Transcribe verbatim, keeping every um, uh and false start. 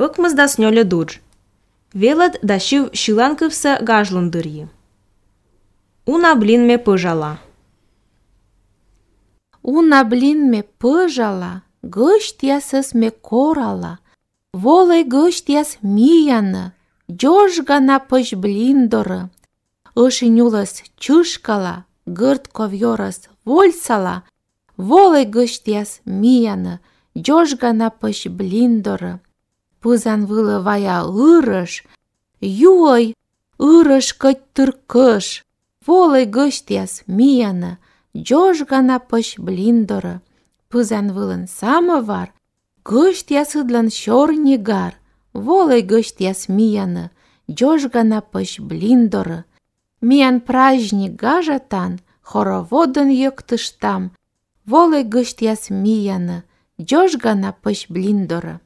Ыкмызда снёле дудж. Велад да шив шиланкывса гажлындырьи. Уна блинме пыжала. Уна блинме пыжала, гыштясыз ме корала. Волай гыштяс мияны, жожгана пыж блиндоры. Ышынюлас чышкала, гырт ковьорас вольсала. Волай гыштяс мияны, жожгана пыж блиндоры. Пызан вылы вая ырыш, юой ырыш кыть тыркыш. Волай гыштяс мияны, жожгана пыж блиндоры. Пызан вылын самовар, гыштяс ыдлан шорнигар. Волай гыштяс мияны, жожгана пыж блиндоры. Миян праздник гажатан, хороводын йыктыштам. Волай гыштяс мияны, жожгана пыж блиндоры.